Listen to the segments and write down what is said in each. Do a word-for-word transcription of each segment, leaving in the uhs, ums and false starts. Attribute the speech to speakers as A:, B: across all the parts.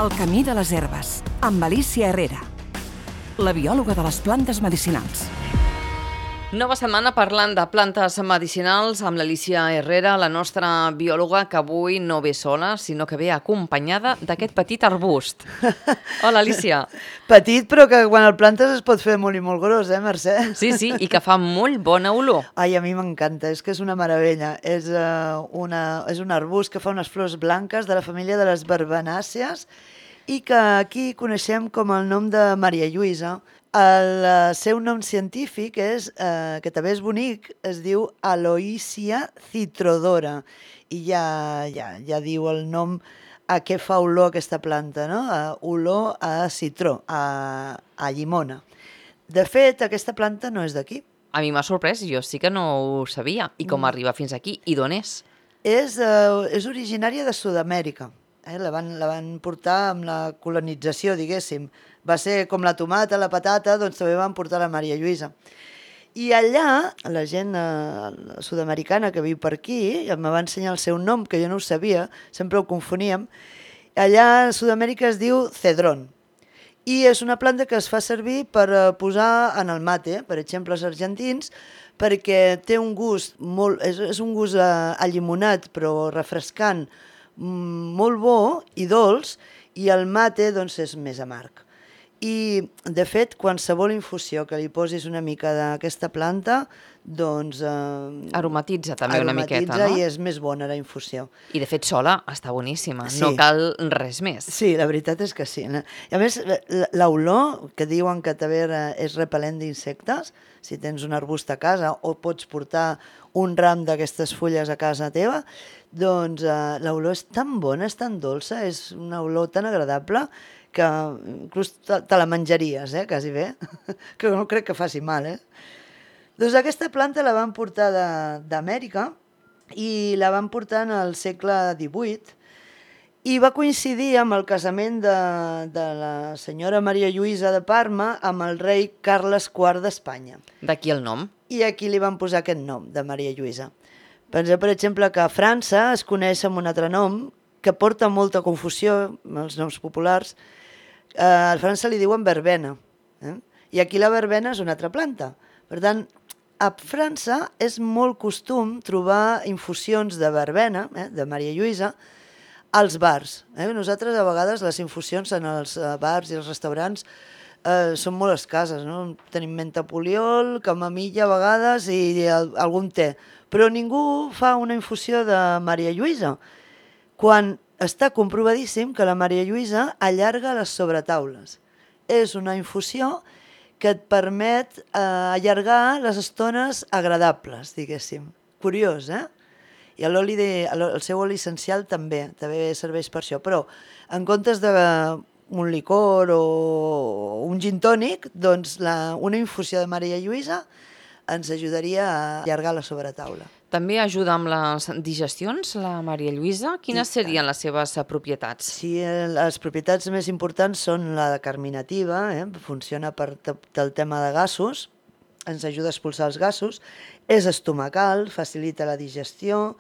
A: El camí de les herbes, amb Alicia Herrera, la biòloga de les plantes medicinals.
B: Nova setmana parlant de plantes medicinals amb l'Alicia Herrera, la nostra biòloga, que avui no ve sola, sinó que ve acompanyada d'aquest petit arbust. Hola, Alicia.
C: Petit, però que quan el plantes es pot fer molt i molt gros, eh, Mercè?
B: Sí, sí, i que fa molt bona olor.
C: Ai, a mi m'encanta, és que és una meravella. És, uh, una, és un arbust que fa unes flors blanques de la família de les verbenàcies i que aquí coneixem com el nom de Maria Lluïsa. El uh, seu nom científic és, uh, que també és bonic, es diu Aloysia citrodora i ja, ja, ja diu el nom a què fa olor aquesta planta, no? Uh, olor a citró, a, a llimona. De fet, aquesta planta no és d'aquí.
B: A mi m'ha sorprès, jo sí que no ho sabia. I com
C: Mm.
B: arriba fins aquí? I d'on és?
C: És, uh, és originària de Sud-amèrica. Eh? La, van, la van portar amb la colonització, diguéssim. Va ser com la tomata, la patata, doncs també van portar la Maria Lluïsa. I allà, la gent eh, sud-americana que viu per aquí, em va ensenyar el seu nom, que jo no ho sabia, sempre ho confoníem. Allà a Sud-amèrica es diu cedrón. I és una planta que es fa servir per eh, posar en el mate, per exemple, els argentins, perquè té un gust, molt, és, és un gust eh, allimonat, però refrescant, mm, molt bo i dolç, i el mate doncs, és més amarg. I, de fet, qualsevol infusió que li posis una mica d'aquesta planta, doncs... Eh,
B: Aromatitza també una miqueta, no?
C: I és més bona la infusió.
B: I, de fet, sola està boníssima.
C: Sí.
B: No cal res més.
C: Sí, la veritat és que sí. I, a més, l'olor, que diuen que també és repel·lent d'insectes, si tens un arbust a casa o pots portar un ram d'aquestes fulles a casa teva, doncs eh, l'olor és tan bona, és tan dolça, és una olor tan agradable que inclús te, te la menjaries, eh, quasi bé, que no crec que faci mal, eh? Doncs aquesta planta la van portar d'Amèrica i la van portar en el segle divuit i va coincidir amb el casament de, de la senyora Maria Lluïsa de Parma amb el rei Carles quart d'Espanya.
B: D'aquí el nom.
C: I aquí li van posar aquest nom, de Maria Lluïsa. Penseu, per exemple, que a França es coneix amb un altre nom que porta molta confusió, els noms populars. Eh, a França li diuen verbena, eh? I aquí la verbena és una altra planta. Per tant, a França és molt costum trobar infusions de verbena, eh, de Maria Lluïsa, als bars. Eh? Nosaltres, a vegades, les infusions en els bars i els restaurants eh, són molt escasses, no? Tenim menta poliol, camamilla a vegades i el, algun te. Però ningú fa una infusió de Maria Lluïsa, quan està comprovadíssim que la Maria Lluïsa allarga les sobretaules. És una infusió que et permet eh, allargar les estones agradables, diguéssim. Curiós, eh? I l'oli de, el seu oli essencial també, també serveix per això. Però en comptes d'un licor o un gin tònic, doncs la, una infusió de Maria Lluïsa ens ajudaria a allargar la sobretaula.
B: També ajuda amb les digestions, la Maria Lluïsa. Quines serien les seves propietats?
C: Sí, les propietats més importants són la carminativa, eh? Funciona per el tema de gasos, ens ajuda a expulsar els gasos, és estomacal, facilita la digestió,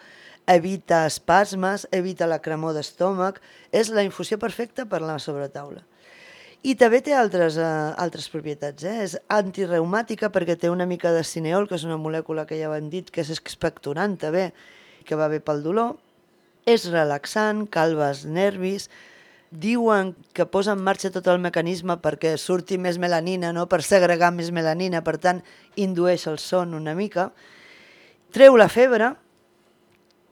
C: evita espasmes, evita la cremor d'estómac, és la infusió perfecta per a la sobretaula. I també té altres, eh, altres propietats. Eh? És antireumàtica perquè té una mica de cineol, que és una molècula que ja ho hem dit, que és expectorant també, que va bé pel dolor. És relaxant, calma els nervis. Diuen que posa en marxa tot el mecanisme perquè surti més melanina, no? Per segregar més melanina, per tant, indueix el son una mica. Treu la febre.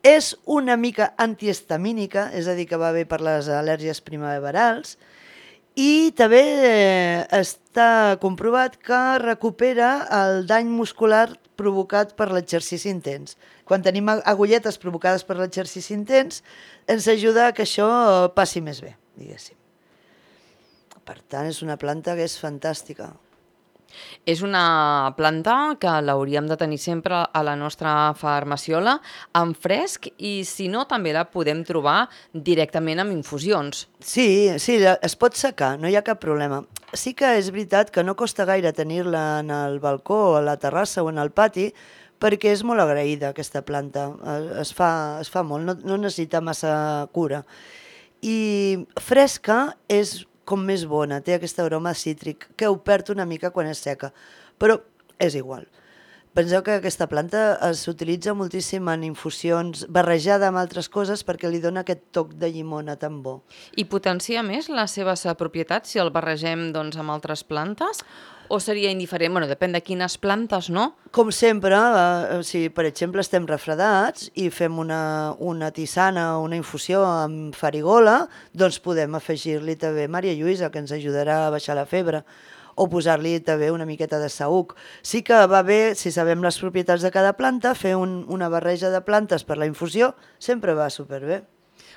C: És una mica antihistamínica, és a dir, que va bé per les al·lèrgies primaverals. I també està comprovat que recupera el dany muscular provocat per l'exercici intens. Quan tenim agulletes provocades per l'exercici intens, ens ajuda a que això passi més bé, diguéssim. Per tant, és una planta que és fantàstica.
B: És una planta que l'hauríem de tenir sempre a la nostra farmaciola en fresc i, si no, també la podem trobar directament amb infusions.
C: Sí, sí, es pot secar, no hi ha cap problema. Sí que és veritat que no costa gaire tenir-la en el balcó, a la terrassa o en el pati, perquè és molt agraïda aquesta planta, es fa, es fa molt, no, no necessita massa cura. I fresca és com més bona, té aquest aroma cítric, que ho perd una mica quan és seca, però és igual. Penseu que aquesta planta s'utilitza moltíssim en infusions, barrejada amb altres coses perquè li dona aquest toc de llimona tan bo.
B: I potencia més les seves propietats si el barregem doncs, amb altres plantes? O seria indiferent? Bueno, depèn de quines plantes, no?
C: Com sempre, eh, si per exemple estem refredats i fem una, una tisana o una infusió amb farigola, doncs podem afegir-li també Maria Lluïsa, que ens ajudarà a baixar la febre, o posar-li també una miqueta de saüc. Sí que va bé, si sabem les propietats de cada planta, fer un, una barreja de plantes per la infusió sempre va superbé.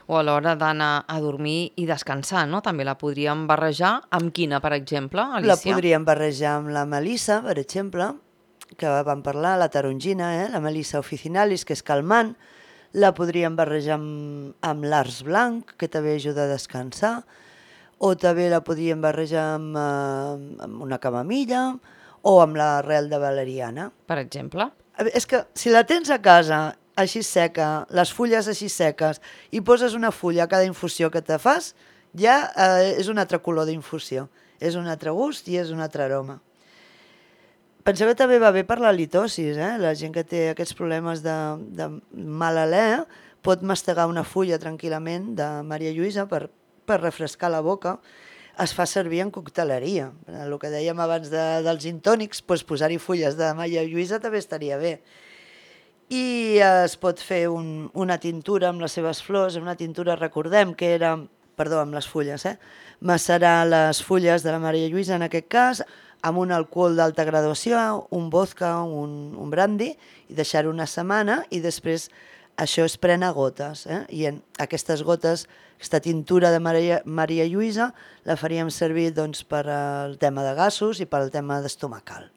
B: O a l'hora d'anar a dormir i descansar, no? També la podríem barrejar amb quina, per exemple, Alicia?
C: La podríem barrejar amb la melissa, per exemple, que vam parlar, la tarongina, eh? La melissa officinalis, que és calmant. La podríem barrejar amb, amb l'ars blanc, que també ajuda a descansar. O també la podríem barrejar amb, eh, amb una camamilla o amb l'arrel de valeriana.
B: Per exemple?
C: És que si la tens a casa així seca, les fulles així seques, i poses una fulla a cada infusió que te fas, ja eh, és un altre color d'infusió. És un altre gust i és un altre aroma. Penseu que també va bé per la litosis, eh? La gent que té aquests problemes de, de mal alè pot mastegar una fulla tranquil·lament de Maria Lluïsa per per refrescar la boca. Es fa servir en cocteleria. El que dèiem abans de, dels gin tònics, doncs posar-hi fulles de Maria Lluïsa també estaria bé. I es pot fer un, una tintura amb les seves flors, una tintura, recordem que era, perdó, amb les fulles, eh? macerar les fulles de la Maria Lluïsa, en aquest cas, amb un alcohol d'alta graduació, un vodka, un, un brandy, i deixar-ho una setmana, i després això es pren a gotes, eh? I en aquestes gotes, aquesta tintura de Maria, Maria Lluïsa, la faríem servir doncs, per al tema de gasos i per al tema d'estomacal.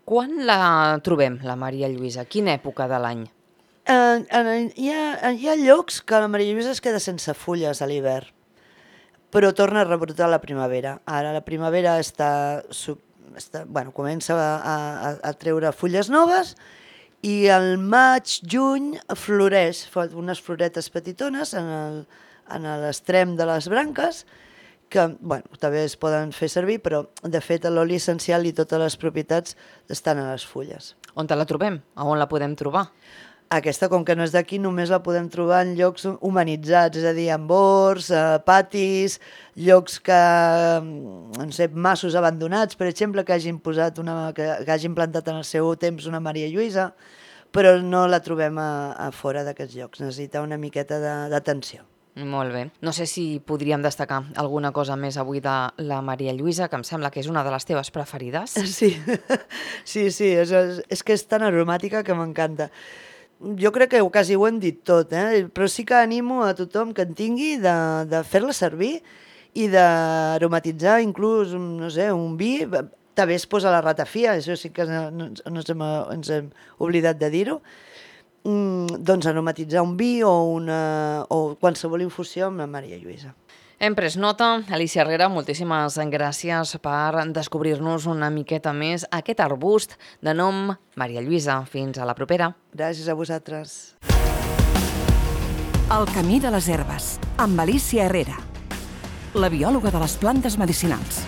B: Quan la trobem, la Maria Lluïsa? Quina època de l'any?
C: Eh, eh, hi, ha, hi ha llocs que la Maria Lluïsa es queda sense fulles a l'hivern, però torna a rebrotar a la primavera. Ara la primavera està, està, bueno, comença a, a, a treure fulles noves, i al maig, juny, floreix, fa unes floretes petitones en el, en l'extrem de les branques, que bueno, també es poden fer servir, però de fet l'oli essencial i totes les propietats estan a les fulles.
B: On te la trobem? A on la podem trobar?
C: Aquesta, com que no és d'aquí, només la podem trobar en llocs humanitzats, és a dir, en bords, eh, patis, llocs que, no sé, massos abandonats, per exemple, que hagin posat una, que, que hagin plantat en el seu temps una Maria Lluïsa, però no la trobem a, a fora d'aquests llocs. Necessita una miqueta d'atenció.
B: Molt bé. No sé si podríem destacar alguna cosa més avui de la Maria Lluïsa, que em sembla que és una de les teves preferides.
C: Sí, sí, sí, és, és que és tan aromàtica que m'encanta. Jo crec que quasi ho hem dit tot, eh? Però sí que animo a tothom que en tingui de, de fer-la servir i d'aromatitzar inclús, no sé, un vi. També es posa la ratafia, això sí que no, no, no ens, hem, ens hem oblidat de dir-ho. Mm, doncs aromatitzar un vi o, una, o qualsevol infusió amb la Maria Lluïsa.
B: Hem pres nota. Alicia Herrera, moltíssimes gràcies per descobrir-nos una miqueta més aquest arbust de nom Maria Lluïsa. Fins a la propera.
C: Gràcies a vosaltres.
A: El camí de les herbes, amb Alicia Herrera, la biòloga de les plantes medicinals.